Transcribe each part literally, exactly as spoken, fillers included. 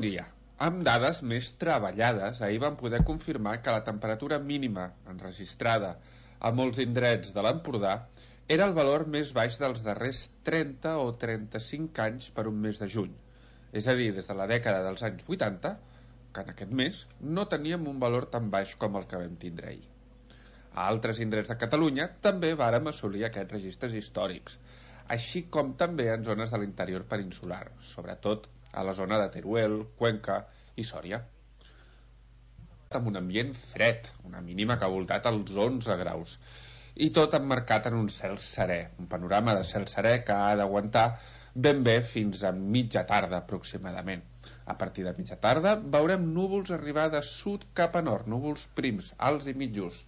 Dia. Amb dades més treballades, ahir vam poder confirmar que la temperatura mínima enregistrada a molts indrets de l'Empordà era el valor més baix dels darrers trenta o trenta-cinc anys per un mes de juny. És a dir, des de la dècada dels anys vuitanta, que en aquest mes no teníem un valor tan baix com el que vam tindre ahir. A altres indrets de Catalunya també vàrem assolir aquests registres històrics, així com també en zones de l'interior peninsular, sobretot a la zona de Teruel, Cuenca i Sòria. Amb un ambient fred, una mínima que ha voltat als onze graus, i tot emmarcat en un cel serè, un panorama de cel serè que ha d'aguantar ben bé fins a mitja tarda aproximadament. A partir de mitja tarda veurem núvols arribar de sud cap a nord, núvols prims, alts i mitjos,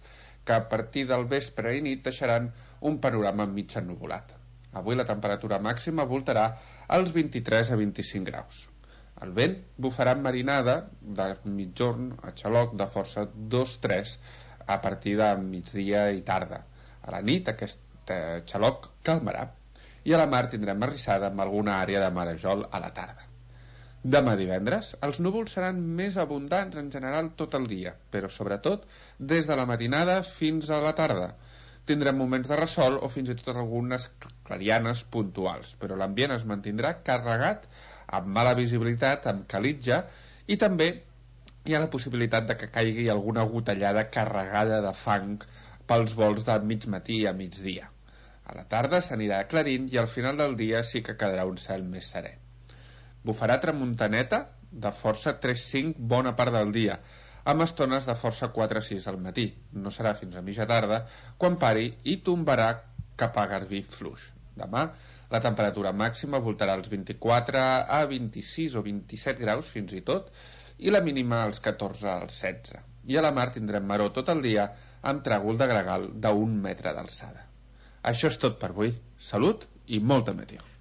que a partir del vespre i nit deixaran un panorama mig ennuvolat. Avui la temperatura màxima voltarà als vint-i-tres a vint-i-cinc graus. El vent bufarà amb marinada de mitjorn a xaloc de força dos tres a partir de migdia i tarda. A la nit aquest xaloc calmarà i a la mar tindrem arrissada amb alguna àrea de marejol a la tarda. Demà divendres els núvols seran més abundants en general tot el dia, però sobretot des de la matinada fins a la tarda. Tindrem moments de ressol o fins i tot algunes clarianes puntuals, però l'ambient es mantindrà carregat amb mala visibilitat, amb calitja, i també hi ha la possibilitat de que caigui alguna gotellada carregada de fang pels vols de mig matí a migdia. A la tarda s'anirà aclarint i al final del dia sí que quedarà un cel més serè. Bufarà tramuntaneta de força tres cinc bona part del dia, amb estones de força quatre sis al matí. No serà fins a mitja tarda quan pari i tombarà cap a Garbí fluix. Demà la temperatura màxima voltarà als vint-i-quatre a vint-i-sis o vint-i-set graus fins i tot, i la mínima als catorze als setze. I a la mar tindrem maror tot el dia amb tràgol de gregal d'un metre d'alçada. Això és tot per avui. Salut i molta meteor.